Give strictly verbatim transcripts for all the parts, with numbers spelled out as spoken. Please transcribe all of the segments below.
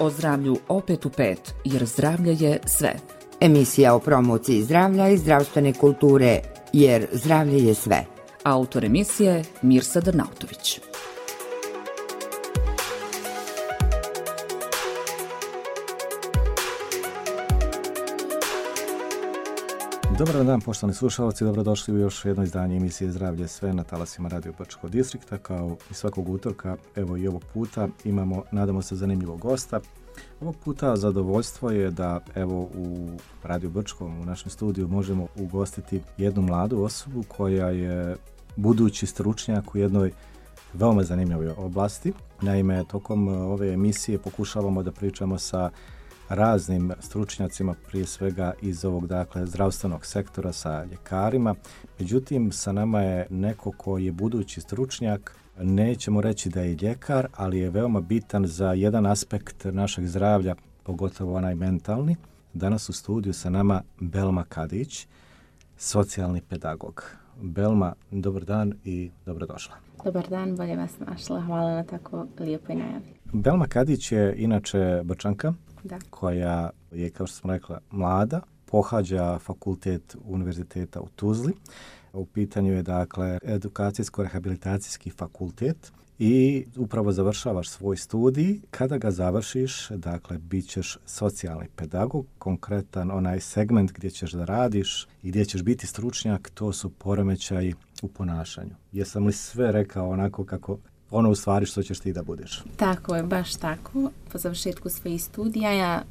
O zdravlju opet u pet, jer zdravlje je sve. Emisija o promociji zdravlja i zdravstvene kulture, jer zdravlje je sve. Autor emisije Mirsa Drnautović. Dobar dan, poštovani slušalci, dobrodošli u još jedno izdanje emisije Zdravlje sve na talasima Radio Brčkog distrikta. Kao i svakog utorka, evo i ovog puta imamo, nadamo se, zanimljivog gosta. Ovog puta zadovoljstvo je da evo u Radio Brčkom, u našem studiju, možemo ugostiti jednu mladu osobu koja je budući stručnjak u jednoj veoma zanimljivoj oblasti. Naime, tokom ove emisije pokušavamo da pričamo sa raznim stručnjacima, prije svega iz ovog dakle zdravstvenog sektora, sa ljekarima. Međutim, sa nama je neko ko je budući stručnjak, nećemo reći da je ljekar, ali je veoma bitan za jedan aspekt našeg zdravlja, pogotovo onaj mentalni. Danas u studiju sa nama Belma Kadić, socijalni pedagog. Belma, dobar dan i dobrodošla. Dobar dan, bolje vas našla. Hvala na tako lijepoj najavi. Belma Kadić je inače Brčanka, da. koja je, kao što smo rekla, mlada, pohađa fakultet univerziteta u Tuzli. U pitanju je, dakle, edukacijsko-rehabilitacijski fakultet i upravo završavaš svoj studij. Kada ga završiš, dakle, bit ćeš socijalni pedagog, konkretan onaj segment gdje ćeš da radiš i gdje ćeš biti stručnjak, to su poremećaji u ponašanju. Jesam li sve rekao onako kako ono u stvari što ćeš ti da budeš? Tako je, baš tako. Po završetku svojih studija ja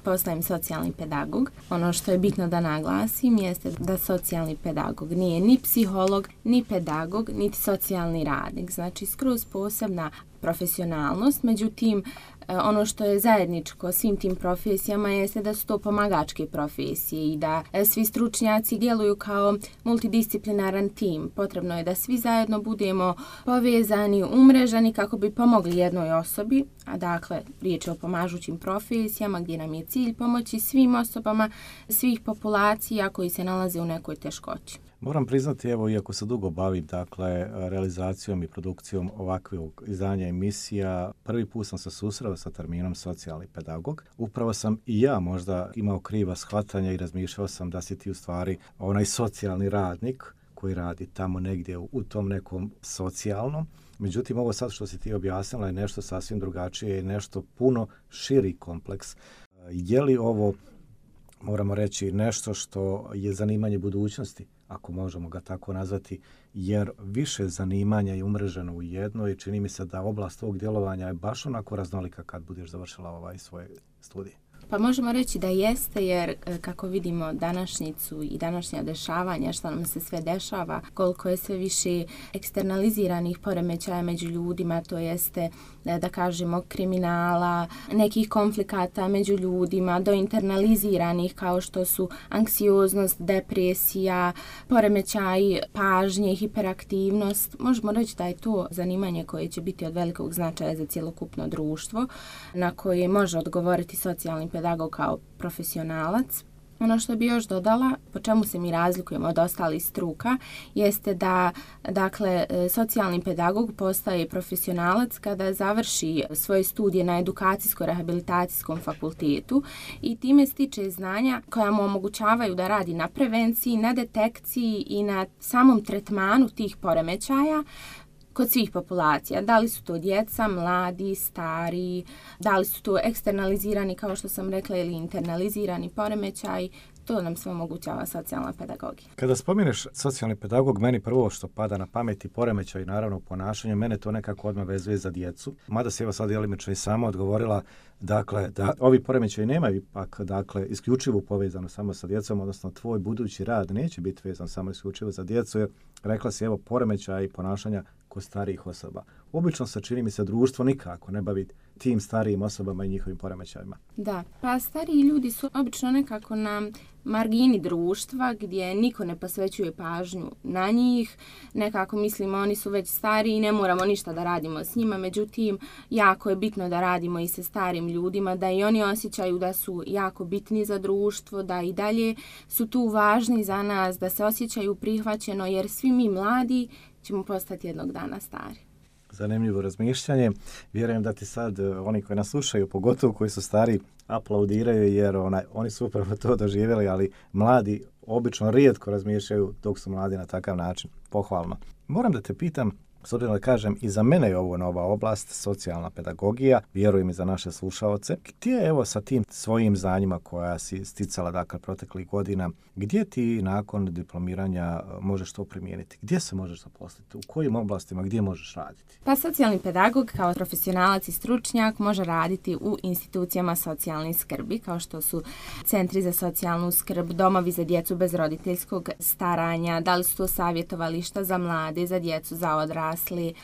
postajem socijalni pedagog. Ono što je bitno da naglasim jeste da socijalni pedagog nije ni psiholog, ni pedagog, niti socijalni radnik. Znači, skroz posebna profesionalnost. Međutim, ono što je zajedničko svim tim profesijama jeste da su to pomagačke profesije i da svi stručnjaci djeluju kao multidisciplinaran tim. Potrebno je da svi zajedno budemo povezani, umrežani kako bi pomogli jednoj osobi, a dakle riječ je o pomažućim profesijama gdje nam je cilj pomoći svim osobama, svih populacija koji se nalaze u nekoj teškoći. Moram priznati, evo, iako se dugo bavim, dakle, realizacijom i produkcijom ovakvog izdanja emisija, prvi put sam se susreo sa terminom socijalni pedagog. Upravo sam i ja možda imao kriva shvatanja i razmišljao sam da si ti u stvari onaj socijalni radnik koji radi tamo negdje u tom nekom socijalnom. Međutim, ovo sad što si ti objasnila je nešto sasvim drugačije i nešto puno širi kompleks. Je li ovo, moramo reći, nešto što je zanimanje budućnosti, ako možemo ga tako nazvati, jer više zanimanja je umreženo u jedno i čini mi se da oblast tvog djelovanja je baš onako raznolika kad budeš završila ovaj svoj studij. Pa možemo reći da jeste, jer kako vidimo današnjicu i današnja dešavanja, što nam se sve dešava, koliko je sve više eksternaliziranih poremećaja među ljudima, to jeste, da kažemo, kriminala, nekih konflikata među ljudima, do internaliziranih kao što su anksioznost, depresija, poremećaj pažnje, hiperaktivnost. Možemo reći da je to zanimanje koje će biti od velikog značaja za cjelokupno društvo, na koje može odgovoriti socijalni pedagog kao profesionalac. Ono što bi još dodala, po čemu se mi razlikujemo od ostalih struka, jeste da, dakle, socijalni pedagog postaje profesionalac kada završi svoje studije na edukacijsko-rehabilitacijskom fakultetu i time stiče znanja koja mu omogućavaju da radi na prevenciji, na detekciji i na samom tretmanu tih poremećaja kod svih populacija. Da li su to djeca, mladi, stari, da li su to eksternalizirani, kao što sam rekla, ili internalizirani poremećaj, to nam sve omogućava socijalna pedagogija. Kada spominješ socijalni pedagog, meni prvo što pada na pamet i poremećaj, naravno, ponašanje, mene to nekako odmah vezuje za djecu. Mada se evo sad djelimično i sama odgovorila, dakle, da ovi poremećaji nemaju ipak, dakle, isključivo povezano samo sa djecom, odnosno tvoj budući rad neće biti vezan samo isključivo za djecu, jer rekla si, evo, poremećaj i ponašanja kod starijih osoba. Obično se, čini mi se, društvo nikako ne bavi tim starijim osobama i njihovim poremećajima. Da, pa stariji ljudi su obično nekako na margini društva gdje niko ne posvećuje pažnju na njih. Nekako mislimo oni su već stariji i ne moramo ništa da radimo s njima. Međutim, jako je bitno da radimo i sa starim ljudima, da i oni osjećaju da su jako bitni za društvo, da i dalje su tu važni za nas, da se osjećaju prihvaćeno, jer svi mi mladi ćemo postati jednog dana stari. zanimljivo razmišljanje. Vjerujem da ti sad oni koji nas slušaju, pogotovo koji su stari, aplaudiraju jer onaj, oni su upravo to doživjeli, ali mladi obično rijetko razmišljaju dok su mladi na takav način. Pohvalno. Moram da te pitam, s obzirom da kažem, i za mene je ovo nova oblast, socijalna pedagogija, vjerujem i za naše slušaoce. Gdje evo sa tim svojim znanjima koja si sticala dakle proteklih godina, gdje ti nakon diplomiranja možeš to primijeniti? Gdje se možeš zaposliti? U kojim oblastima? Gdje možeš raditi? Pa socijalni pedagog kao profesionalac i stručnjak može raditi u institucijama socijalne skrbi, kao što su centri za socijalnu skrb, domovi za djecu bez roditeljskog staranja, da li su to savjetovališta za mlade, za djecu, za odrasle.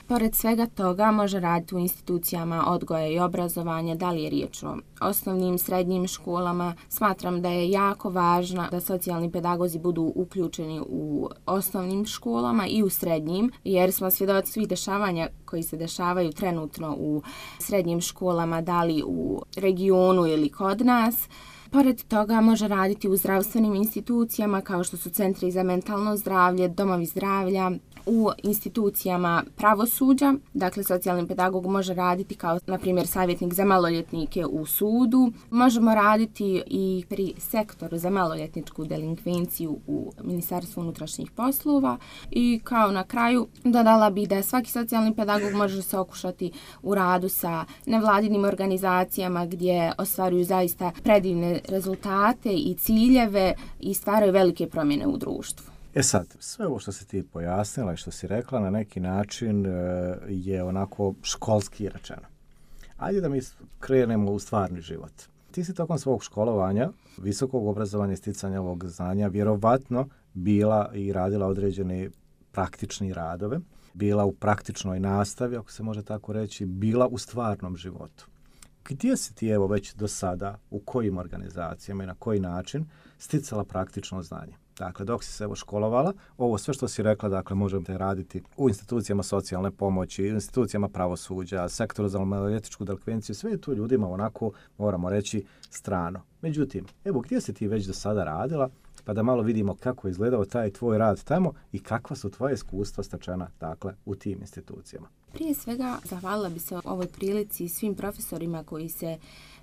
Pored svega toga može raditi u institucijama odgoja i obrazovanja, da li je riječ o osnovnim, srednjim školama. Smatram da je jako važno da socijalni pedagozi budu uključeni u osnovnim školama i u srednjim, jer smo svjedoci svih dešavanja koji se dešavaju trenutno u srednjim školama, da li u regionu ili kod nas. Pored toga može raditi u zdravstvenim institucijama kao što su centri za mentalno zdravlje, domovi zdravlja, u institucijama pravosuđa. Dakle, socijalni pedagog može raditi kao, na primjer, savjetnik za maloljetnike u sudu. Možemo raditi i pri sektoru za maloljetničku delinkvenciju u Ministarstvu unutrašnjih poslova. I kao na kraju dodala bi da svaki socijalni pedagog može se okušati u radu sa nevladinim organizacijama gdje ostvaruju zaista predivne rezultate i ciljeve i stvaraju velike promjene u društvu. E sad, sve ovo što si ti pojasnila i što si rekla na neki način e, je onako školski rečeno. Ajde da mi krenemo u stvarni život. Ti si tokom svog školovanja, visokog obrazovanja i sticanja ovog znanja vjerovatno bila i radila određene praktične radove, bila u praktičnoj nastavi, ako se može tako reći, bila u stvarnom životu. Gdje si ti evo već do sada, u kojim organizacijama i na koji način sticala praktično znanje? Dakle, dok si se evo školovala, ovo sve što si rekla, dakle, možete raditi u institucijama socijalne pomoći, u institucijama pravosuđa, sektoru za maloljetničku delikvenciju, sve je to ljudima onako, moramo reći, strano. Međutim, evo, gdje si ti već do sada radila, pa da malo vidimo kako je izgledao taj tvoj rad tamo i kakva su tvoje iskustva stečena, dakle, u tim institucijama. Prije svega, zahvalila bi se ovoj prilici svim profesorima koji se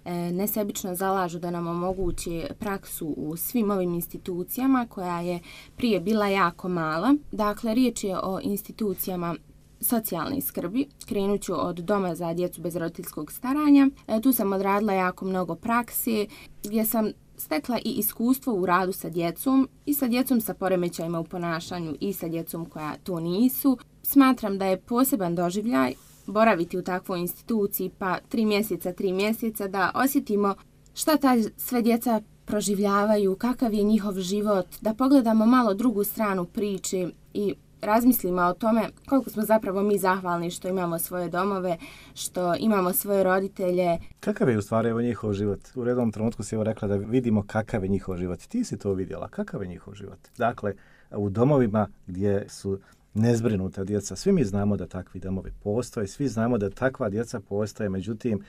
e, nesebično zalažu da nam omoguće praksu u svim ovim institucijama, koja je prije bila jako mala. Dakle, riječ je o institucijama socijalne skrbi. Krenut ću od doma za djecu bez roditeljskog staranja. E, tu sam odradila jako mnogo praksi, gdje sam stekla i iskustvo u radu sa djecom i sa djecom sa poremećajima u ponašanju i sa djecom koja to nisu. Smatram da je poseban doživljaj boraviti u takvoj instituciji pa tri mjeseca, tri mjeseca da osjetimo šta ta sve djeca proživljavaju, kakav je njihov život, da pogledamo malo drugu stranu priče i razmislimo o tome koliko smo zapravo mi zahvalni što imamo svoje domove, što imamo svoje roditelje. Kakav je u stvari evo njihov život? U redovnom trenutku si evo rekla da vidimo kakav je njihov život. Ti si to vidjela. Kakav je njihov život? Dakle, u domovima gdje su nezbrinuta djeca, svi mi znamo da takvi domovi postoje, svi znamo da takva djeca postoje, međutim,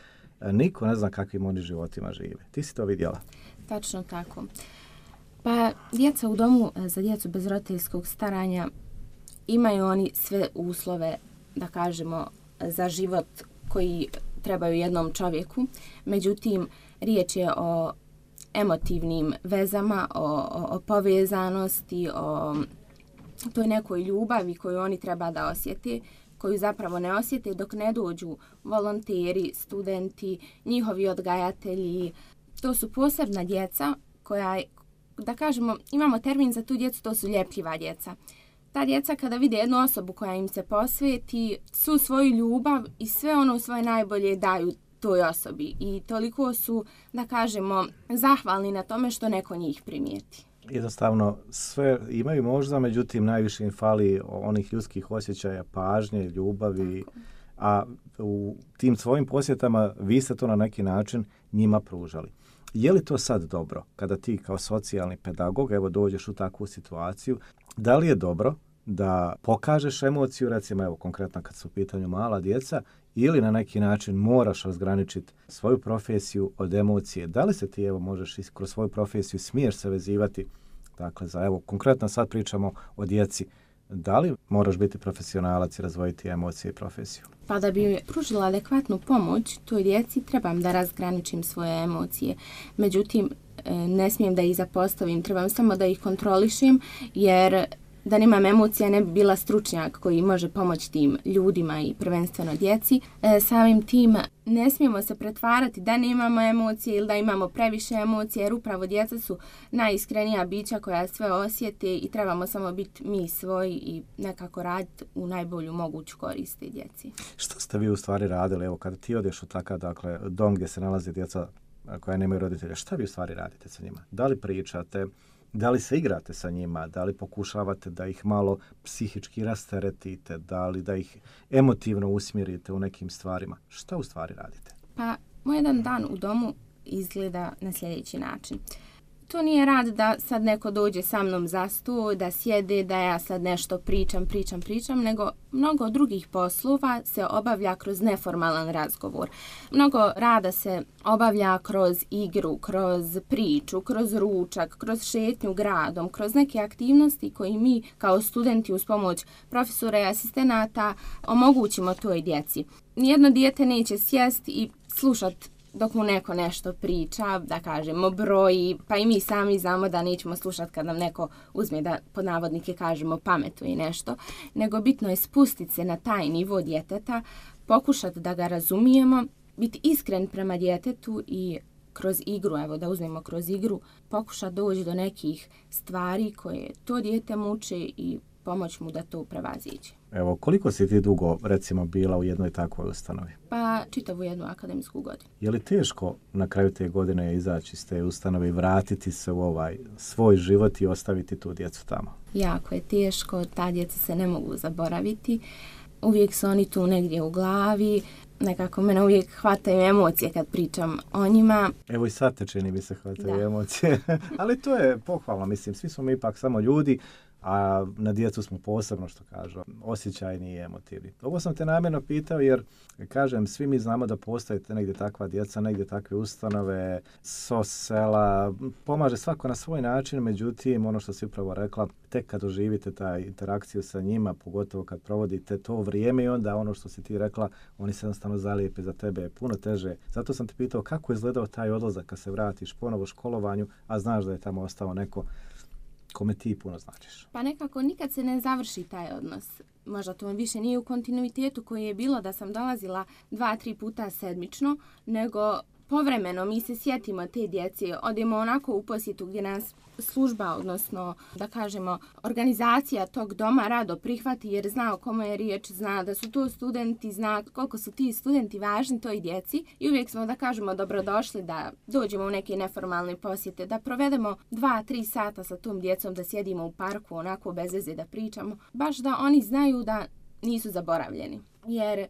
niko ne zna kakvim oni životima žive. Ti si to vidjela? Tačno tako. Pa djeca u domu za djecu bez roditeljskog staranja imaju oni sve uslove, da kažemo, za život koji trebaju jednom čovjeku. Međutim, riječ je o emotivnim vezama, o, o, o povezanosti, o toj nekoj ljubavi koju oni treba da osjete, koju zapravo ne osjete dok ne dođu volonteri, studenti, njihovi odgajatelji. To su posebna djeca koja, da kažemo, imamo termin za tu djecu, to su ljepljiva djeca. Ta djeca kada vide jednu osobu koja im se posveti, su svoju ljubav i sve ono svoje najbolje daju toj osobi. I toliko su, da kažemo, zahvalni na tome što neko njih primijeti. Jednostavno sve imaju možda, međutim najviše im fali onih ljudskih osjećaja, pažnje, ljubavi, tako. A u tim svojim posjetama vi ste to na neki način njima pružali. Je li to sad dobro kada ti kao socijalni pedagog evo dođeš u takvu situaciju? Da li je dobro da pokažeš emociju, recimo evo konkretno kad su u pitanju mala djeca, ili na neki način moraš razgraničiti svoju profesiju od emocije? Da li se ti evo možeš kroz svoju profesiju smiješ se vezivati, dakle za evo konkretno sad pričamo o djeci Da li moraš biti profesionalac i razvojiti emocije i profesiju? Pa da bi pružila adekvatnu pomoć toj djeci trebam da razgraničim svoje emocije. Međutim, ne smijem da ih zapostavim, trebam samo da ih kontrolišem, jer da nemam emocija ne bi bila stručnjak koji može pomoći tim ljudima i prvenstveno djeci. E, samim tim ne smijemo se pretvarati da nemamo emocije ili da imamo previše emocije, jer upravo djeca su najiskrenija bića koja sve osjete i trebamo samo biti mi svoji i nekako raditi u najbolju moguću korist djeci. Što ste vi u stvari radili? Evo, kada ti odeš u takav, dakle, dom gdje se nalaze djeca koja nemaju roditelja, šta vi u stvari radite sa njima? Da li pričate? Da li se igrate sa njima, da li pokušavate da ih malo psihički rasteretite, da li da ih emotivno usmjerite u nekim stvarima? Šta u stvari radite? Pa, moj jedan dan u domu izgleda na sljedeći način. To nije rad da sad neko dođe sa mnom za sto, da sjede, da ja sad nešto pričam, pričam, pričam, nego mnogo drugih poslova se obavlja kroz neformalan razgovor. Mnogo rada se obavlja kroz igru, kroz priču, kroz ručak, kroz šetnju gradom, kroz neke aktivnosti koje mi kao studenti uz pomoć profesora i asistenata omogućimo toj djeci. Nijedno dijete neće sjesti i slušati dok mu neko nešto priča, da kažemo broji, pa i mi sami znamo da nećemo slušati kad nam neko uzme da pod navodnike kažemo pametuje nešto, nego bitno je spustiti se na taj nivo djeteta, pokušati da ga razumijemo, biti iskren prema djetetu i kroz igru, evo da uzmemo kroz igru, pokušati doći do nekih stvari koje to dijete muče i pomoć mu da to prevaziđe. Evo, koliko si ti dugo, recimo, bila u jednoj takvoj ustanovi? Pa, čitavu jednu akademsku godinu. Je li teško na kraju te godine izaći iz te ustanove i vratiti se u ovaj svoj život i ostaviti tu djecu tamo? Jako je teško, ta djeca se ne mogu zaboraviti. Uvijek su oni tu negdje u glavi, nekako mene uvijek hvataju emocije kad pričam o njima. Evo i sad te čini mi se hvataju da. emocije, ali to je pohvalno, mislim, svi smo mi ipak samo ljudi, a na djecu smo posebno, što kažu, osjećajni i emotivni. Ovo sam te namjerno pitao jer, kažem, svi mi znamo da postoje negdje takva djeca, negdje takve ustanove, so sela, pomaže svako na svoj način, međutim, ono što si upravo rekla, tek kad doživite taj interakciju sa njima, pogotovo kad provodite to vrijeme i onda ono što si ti rekla, oni se jednostavno zalijepe za tebe, je puno teže. Zato sam te pitao kako je izgledao taj odlazak kad se vratiš ponovo školovanju, a znaš da je tamo ostao neko kome ti puno značiš. Pa nekako nikad se ne završi taj odnos. Možda to više nije u kontinuitetu koji je bilo da sam dolazila dva, tri puta sedmično, nego povremeno mi se sjetimo te djece, odemo onako u posjetu gdje nas služba, odnosno da kažemo organizacija tog doma rado prihvati jer zna o kome je riječ, zna da su to studenti, zna koliko su ti studenti važni toj djeci i uvijek smo da kažemo dobrodošli da dođemo u neke neformalne posjete, da provedemo dva, tri sata sa tom djecom, da sjedimo u parku onako bez veze da pričamo, baš da oni znaju da nisu zaboravljeni. Jer e,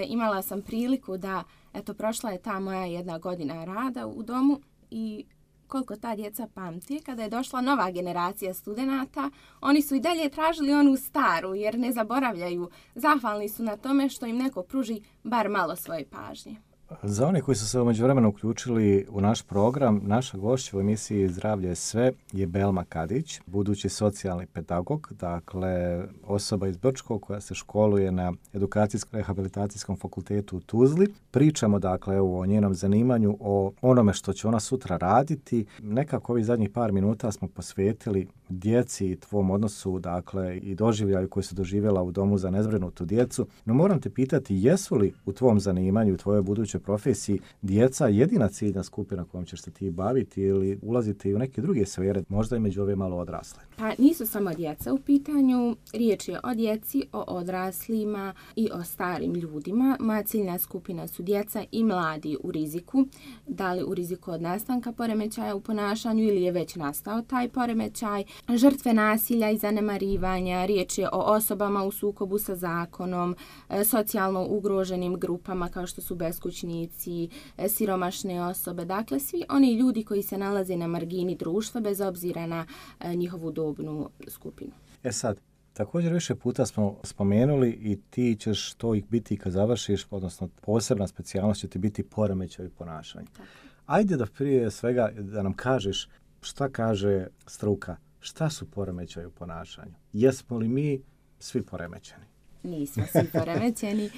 imala sam priliku da, eto, prošla je ta moja jedna godina rada u domu i koliko ta djeca pamti, kada je došla nova generacija studenata, oni su i dalje tražili onu staru jer ne zaboravljaju. Zahvalni su na tome što im neko pruži bar malo svoje pažnje. Za one koji su se u međuvremenu uključili u naš program, naša gošća u emisiji Zdravlje je sve je Belma Kadić, budući socijalni pedagog, dakle osoba iz Brčkog koja se školuje na Edukacijsko-rehabilitacijskom fakultetu u Tuzli. Pričamo dakle o njenom zanimanju, o onome što će ona sutra raditi. Nekako ovih zadnjih par minuta smo posvetili djeci i tvom odnosu, dakle i doživljaju koji su doživjela u domu za nezbrinutu djecu. No moram te pitati, jesu li u tvom zanimanju, u tvojoj budućoj profesiji djeca jedina ciljna skupina kojom ćeš se ti baviti ili ulaziti i u neke druge sfere, možda i među ove malo odrasle? Pa nisu samo djeca u pitanju, riječ je o djeci, o odraslima i o starim ljudima. Moja ciljna skupina su djeca i mladi u riziku, da li u riziku od nastanka poremećaja u ponašanju ili je već nastao taj poremećaj, žrtve nasilja i zanemarivanja, riječ je o osobama u sukobu sa zakonom, socijalno ugroženim grupama kao što su beskućnici, siromašne osobe, dakle svi oni ljudi koji se nalaze na margini društva bez obzira na njihovu dobnu skupinu. E sad, također više puta smo spomenuli i ti ćeš to ih biti kad završiš, odnosno posebna specijalnost će ti biti poremećaj ponašanja. Tako. Ajde da prije svega da nam kažeš šta kaže struka, šta su poremećaji u ponašanju. Jesmo li mi svi poremećeni. Nismo svi poremećeni.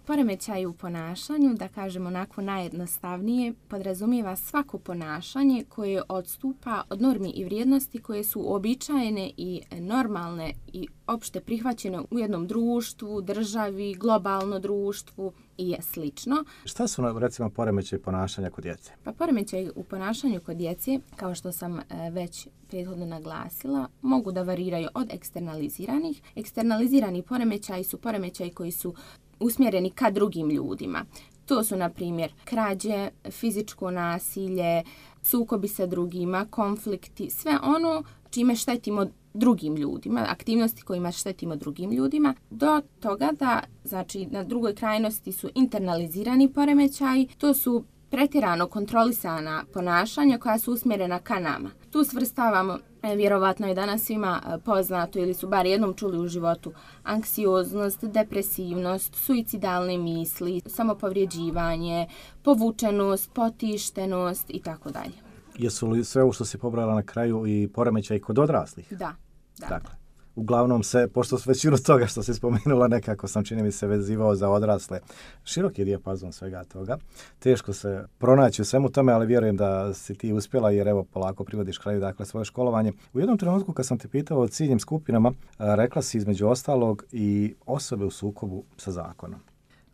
Poremećaj u ponašanju, da kažemo onako najjednostavnije, podrazumijeva svako ponašanje koje odstupa od normi i vrijednosti koje su uobičajene i normalne i opšte prihvaćene u jednom društvu, državi, globalno društvu i slično. Šta su, recimo, poremećaj ponašanja kod djece? Pa poremećaj u ponašanju kod djece, kao što sam već prethodno naglasila, mogu da variraju od eksternaliziranih. Eksternalizirani poremećaji su poremećaji koji su usmjereni ka drugim ljudima. To su, na primjer, krađe, fizičko nasilje, sukobi sa drugima, konflikti, sve ono čime štetimo drugim ljudima, aktivnosti kojima štetimo drugim ljudima, do toga da, znači, na drugoj krajnosti su internalizirani poremećaji, to su pretjerano kontrolisana ponašanja koja su usmjerena ka nama. Tu svrstavamo, vjerovatno je danas svima poznato ili su bar jednom čuli u životu, anksioznost, depresivnost, suicidalne misli, samopovrijeđivanje, povučenost, potištenost i tako dalje. Jesu li sve ovo što si pobrala na kraju i poremećaj kod odraslih? Da. da. Dakle, uglavnom se, pošto većinu toga što si spomenula, nekako sam, čini mi se, vezivao za odrasle. Širok je dijapazon svega toga. Teško se pronaći u svemu tome, ali vjerujem da si ti uspjela, jer evo polako privodiš kraju, dakle, svoje školovanje. U jednom trenutku kad sam te pitao o ciljnim skupinama, rekla si između ostalog i osobe u sukobu sa zakonom.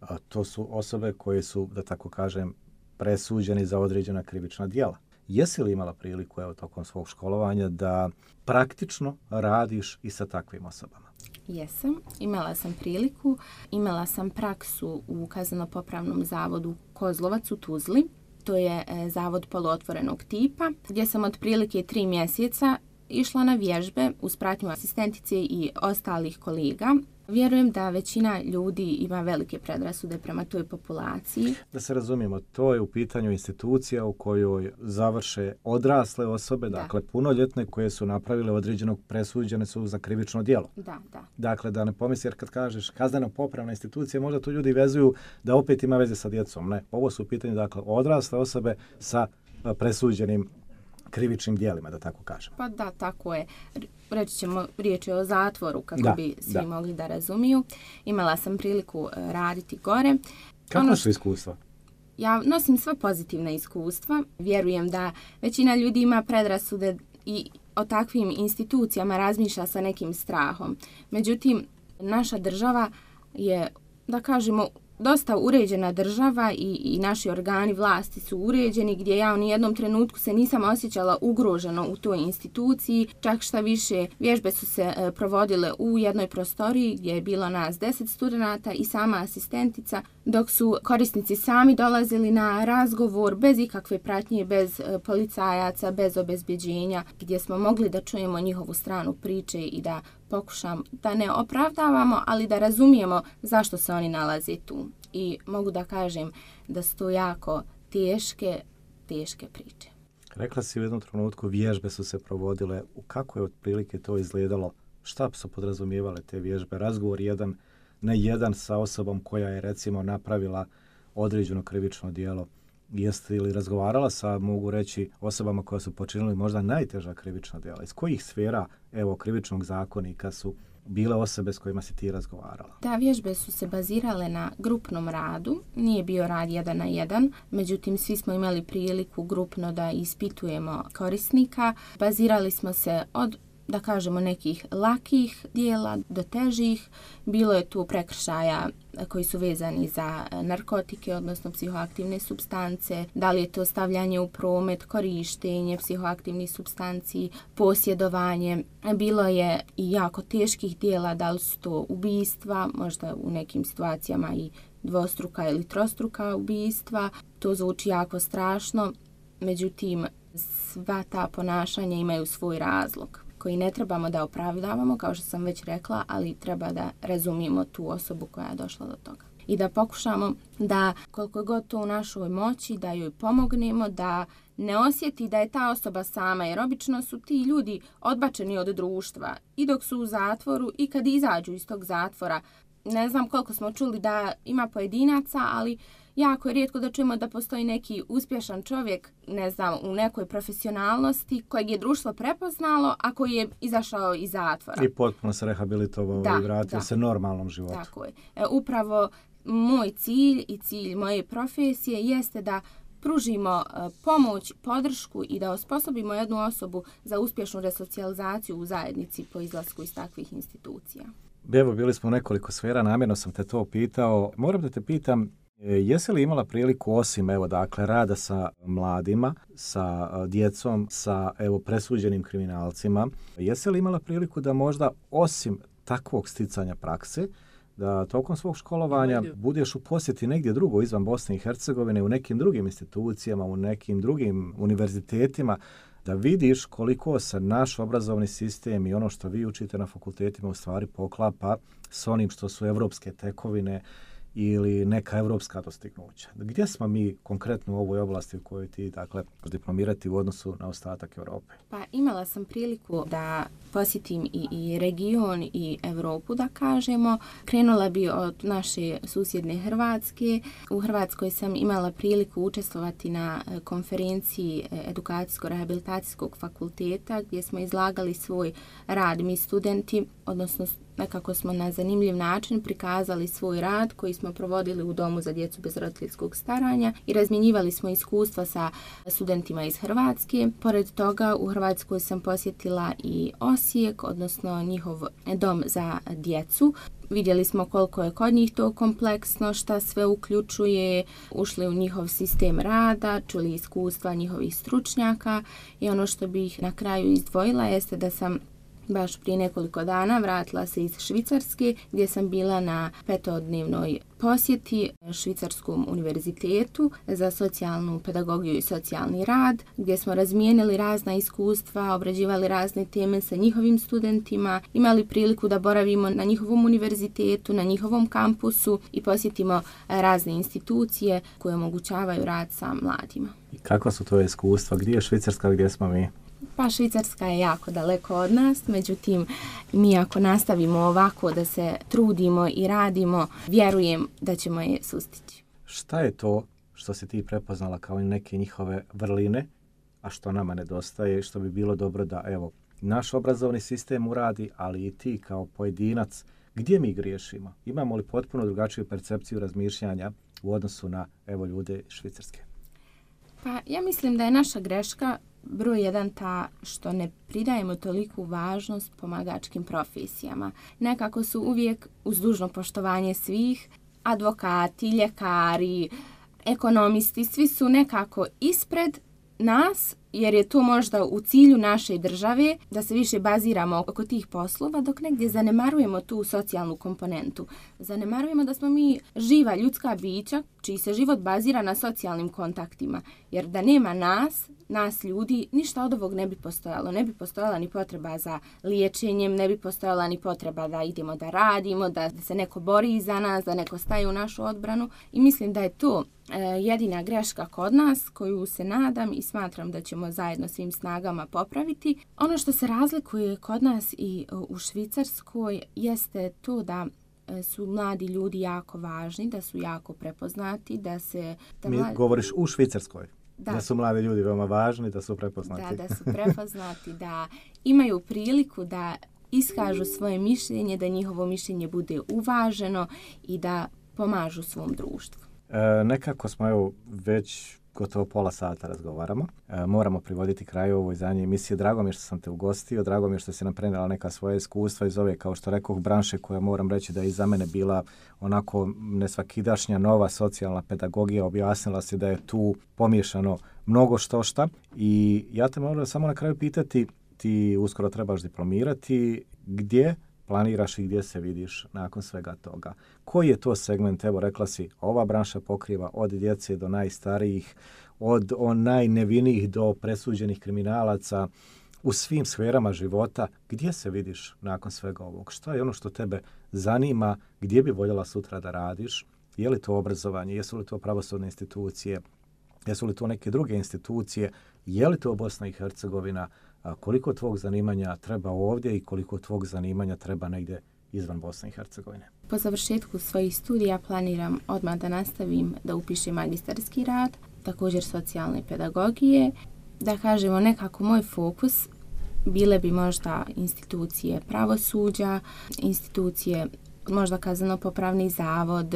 A to su osobe koje su, da tako kažem, presuđeni za određena krivična djela. Jesi li imala priliku, evo, tokom svog školovanja da praktično radiš i sa takvim osobama? Jesam. Imala sam priliku. Imala sam praksu u kazneno-popravnom zavodu Kozlovac u Tuzli. To je e, zavod poluotvorenog tipa, gdje sam otprilike tri mjeseca išla na vježbe uz pratnju asistentice i ostalih kolega. Vjerujem da većina ljudi ima velike predrasude prema toj populaciji. Da se razumijemo, to je u pitanju institucija u kojoj završe odrasle osobe, da. Dakle punoljetne koje su napravile određenog, presuđene su za krivično djelo. Da, da. Dakle, da ne pomisli, jer kad kažeš kazneno-popravna institucija, možda tu ljudi vezuju da opet ima veze sa djecom. Ne, ovo su u pitanju, dakle, odrasle osobe sa presuđenim krivičnim djelima, da tako kažem. Pa da, tako je. Reći ćemo, riječ je o zatvoru, kako da, bi svi da. mogli da razumiju. Imala sam priliku raditi gore. Kako ono su iskustva? Ja nosim sva pozitivna iskustva. Vjerujem da većina ljudi ima predrasude i o takvim institucijama razmišlja sa nekim strahom. Međutim, naša država je, da kažemo, dosta uređena država i, i naši organi vlasti su uređeni, gdje ja u nijednom trenutku se nisam osjećala ugroženo u toj instituciji. Čak šta više, vježbe su se e, provodile u jednoj prostoriji gdje je bilo nas deset studenata i sama asistentica, dok su korisnici sami dolazili na razgovor bez ikakve pratnje, bez e, policajaca, bez obezbjeđenja, gdje smo mogli da čujemo njihovu stranu priče i da pokušam da ne opravdavamo, ali da razumijemo zašto se oni nalaze tu. I mogu da kažem da su to jako teške, teške priče. Rekla si u jednom trenutku, vježbe su se provodile. U kako je otprilike to izgledalo? Šta su podrazumijevale te vježbe? Razgovor jedan na jedan sa osobom koja je, recimo, napravila određeno krivično djelo. Jeste li razgovarala sa, mogu reći, osobama koja su počinili možda najteža krivična djela? Iz kojih sfera, evo, krivičnog zakonika su bile osobe s kojima si ti razgovarala? Da, vježbe su se bazirale na grupnom radu. Nije bio rad jedan na jedan, međutim svi smo imali priliku grupno da ispitujemo korisnika. Bazirali smo se od, da kažemo, nekih lakih dijela do težih. Bilo je tu prekršaja koji su vezani za narkotike, odnosno psihoaktivne supstance, da li je to stavljanje u promet, korištenje psihoaktivnih supstanci, posjedovanje. Bilo je i jako teških dijela, da li su to ubistva, možda u nekim situacijama i dvostruka ili trostruka ubistva. To zvuči jako strašno, međutim sva ta ponašanja imaju svoj razlog koji ne trebamo da opravdavamo, kao što sam već rekla, ali treba da razumijemo tu osobu koja je došla do toga. I da pokušamo da, koliko god to u našoj moći, da joj pomognemo, da ne osjeti da je ta osoba sama, jer obično su ti ljudi odbačeni od društva i dok su u zatvoru i kad izađu iz tog zatvora. Ne znam koliko smo čuli da ima pojedinaca, ali jako je rijetko da čujemo da postoji neki uspješan čovjek, ne znam, u nekoj profesionalnosti kojeg je društvo prepoznalo, a koji je izašao iz zatvora. I potpuno se rehabilitovao da, i vratio da. se normalnom životu. Tako je. E, upravo moj cilj i cilj moje profesije jeste da pružimo e, pomoć, podršku i da osposobimo jednu osobu za uspješnu resocijalizaciju u zajednici po izlasku iz takvih institucija. Evo, bili smo u nekoliko sfera, namjerno sam te to pitao. Moram da te pitam, jesi li imala priliku osim evo dakle rada sa mladima, sa djecom, sa evo presuđenim kriminalcima, jesi li imala priliku da možda osim takvog sticanja prakse, da tokom svog školovanja budeš u posjeti negdje drugo izvan Bosne i Hercegovine, u nekim drugim institucijama, u nekim drugim univerzitetima, da vidiš koliko se naš obrazovni sistem i ono što vi učite na fakultetima u stvari poklapa s onim što su evropske tekovine ili neka evropska dostignuća. Gdje smo mi konkretno u ovoj oblasti u kojoj ti dakle diplomirati u odnosu na ostatak Europe? Pa imala sam priliku da posjetim i, i region i Europu, da kažemo. Krenula bi od naše susjedne Hrvatske. U Hrvatskoj sam imala priliku učestvovati na konferenciji Edukacijsko-rehabilitacijskog fakulteta gdje smo izlagali svoj rad mi studenti, odnosno nekako smo na zanimljiv način prikazali svoj rad koji smo provodili u Domu za djecu bez roditeljskog staranja i razmjenjivali smo iskustva sa studentima iz Hrvatske. Pored toga u Hrvatskoj sam posjetila i Osijek, odnosno njihov dom za djecu. Vidjeli smo koliko je kod njih to kompleksno, šta sve uključuje, ušli u njihov sistem rada, čuli iskustva njihovih stručnjaka i ono što bih na kraju izdvojila jeste da sam baš prije nekoliko dana vratila se iz Švicarske gdje sam bila na petodnevnoj posjeti Švicarskom univerzitetu za socijalnu pedagogiju i socijalni rad, gdje smo razmijenili razna iskustva, obrađivali razne teme sa njihovim studentima, imali priliku da boravimo na njihovom univerzitetu, na njihovom kampusu i posjetimo razne institucije koje omogućavaju rad sa mladima. I kakva su to iskustva? Gdje je Švicarska, gdje smo mi? Pa Švicarska je jako daleko od nas, međutim mi ako nastavimo ovako da se trudimo i radimo, vjerujem da ćemo je sustići. Šta je to što si ti prepoznala kao neke njihove vrline, a što nama nedostaje i što bi bilo dobro da evo naš obrazovni sistem uradi, ali i ti kao pojedinac, gdje mi griješimo? Imamo li potpuno drugačiju percepciju razmišljanja u odnosu na evo ljude Švicarske? Pa ja mislim da je naša greška broj jedan ta što ne pridajemo toliku važnost pomagačkim profesijama. Nekako su uvijek uz dužno poštovanje svih, advokati, ljekari, ekonomisti, svi su nekako ispred nas jer je to možda u cilju naše države da se više baziramo oko tih poslova, dok negdje zanemarujemo tu socijalnu komponentu. Zanemarujemo da smo mi živa ljudska bića čiji se život bazira na socijalnim kontaktima, jer da nema nas, nas ljudi, ništa od ovog ne bi postojalo. Ne bi postojala ni potreba za liječenjem, ne bi postojala ni potreba da idemo da radimo, da se neko bori za nas, da neko staje u našu odbranu. I mislim da je to e, jedina greška kod nas koju se nadam i smatram da ćemo zajedno svim snagama popraviti. Ono što se razlikuje kod nas i u Švicarskoj jeste to da su mladi ljudi jako važni, da su jako prepoznati, da se... Da Mi mladi... govoriš u Švicarskoj. Da. da su mladi ljudi veoma važni, da su prepoznati. Da, da su prepoznati, da imaju priliku da iskažu svoje mišljenje, da njihovo mišljenje bude uvaženo i da pomažu svom društvu. E, nekako smo evo već gotovo pola sata razgovaramo. E, moramo privoditi kraju ovoj zadnje emisije. Drago mi je što sam te ugostio, drago mi je što si nam prenijela neka svoja iskustva iz ove, kao što rekoh, branše koja moram reći da je i za mene bila onako nesvakidašnja nova socijalna pedagogija. Objasnila si da je tu pomiješano mnogo što šta i ja te moram samo na kraju pitati, ti uskoro trebaš diplomirati, gdje planiraš i gdje se vidiš nakon svega toga? Koji je to segment? Evo, rekla si, ova branša pokriva od djece do najstarijih, od najnevinijih do presuđenih kriminalaca, u svim sferama života. Gdje se vidiš nakon svega ovog? Što je ono što tebe zanima? Gdje bi voljela sutra da radiš? Je li to obrazovanje? Jesu li to pravosudne institucije? Jesu li to neke druge institucije? Je li to Bosna i Hercegovina? Koliko tvog zanimanja treba ovdje i koliko tvog zanimanja treba negdje izvan Bosne i Hercegovine. Po završetku svojih studija planiram odmah da nastavim da upišem magistarski rad, također socijalne pedagogije. Da kažemo nekako moj fokus bile bi možda institucije pravosuđa, institucije možda kazneno-popravni zavod,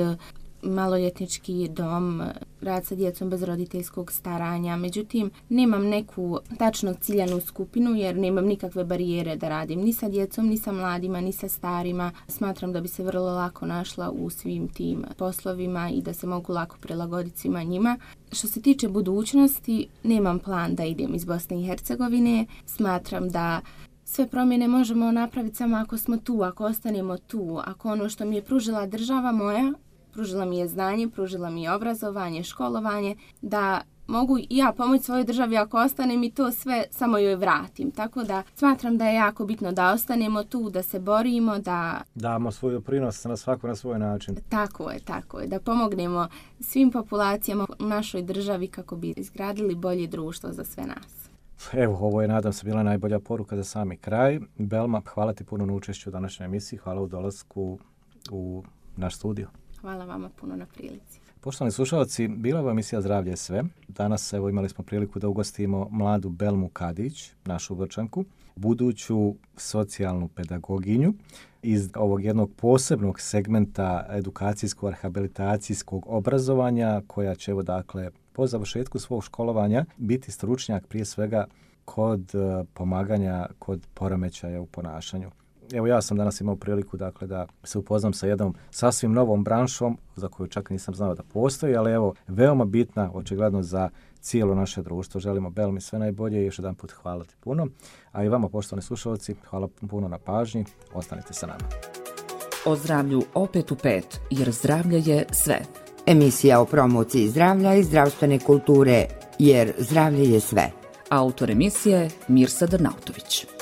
maloljetnički dom, rad sa djecom bez roditeljskog staranja. Međutim, nemam neku tačno ciljanu skupinu jer nemam nikakve barijere da radim ni sa djecom, ni sa mladima, ni sa starima. Smatram da bi se vrlo lako našla u svim tim poslovima i da se mogu lako prilagoditi svima njima. Što se tiče budućnosti, nemam plan da idem iz Bosne i Hercegovine. Smatram da sve promjene možemo napraviti samo ako smo tu, ako ostanemo tu, ako ono što mi je pružila država moja, pružila mi je znanje, pružila mi je obrazovanje, školovanje, da mogu i ja pomoći svojoj državi ako ostanem i to sve samo joj vratim. Tako da smatram da je jako bitno da ostanemo tu, da se borimo, da damo svoj doprinos na svako na svoj način. Tako je, tako je. Da pomognemo svim populacijama u našoj državi kako bi izgradili bolje društvo za sve nas. Evo, ovo je, nadam se, bila najbolja poruka za sami kraj. Belma, hvala ti puno na učešću u današnjoj emisiji. Hvala u dolasku u naš studio. Hvala vama puno na prilici. Poštovani slušalci, bila je emisija Zdravlje je sve. Danas evo imali smo priliku da ugostimo mladu Belmu Kadić, našu Vrčanku, buduću socijalnu pedagoginju iz ovog jednog posebnog segmenta edukacijskog rehabilitacijskog obrazovanja koja će evo dakle po završetku svog školovanja biti stručnjak prije svega kod pomaganja kod poremećaja u ponašanju. Evo ja sam danas imao priliku dakle da se upoznam sa jednom sasvim novom branšom za koju čak nisam znao da postoji, ali evo veoma bitna očigledno za cijelo naše društvo. Želimo Belmi sve najbolje i još jedan put hvala ti puno. A i vama poštovani slušalci, hvala puno na pažnji. Ostanite sa nama. O zdravlju opet u pet, jer zdravlje je sve. Emisija o promociji zdravlja i zdravstvene kulture, jer zdravlje je sve. Autor emisije Mirsa Drnautović.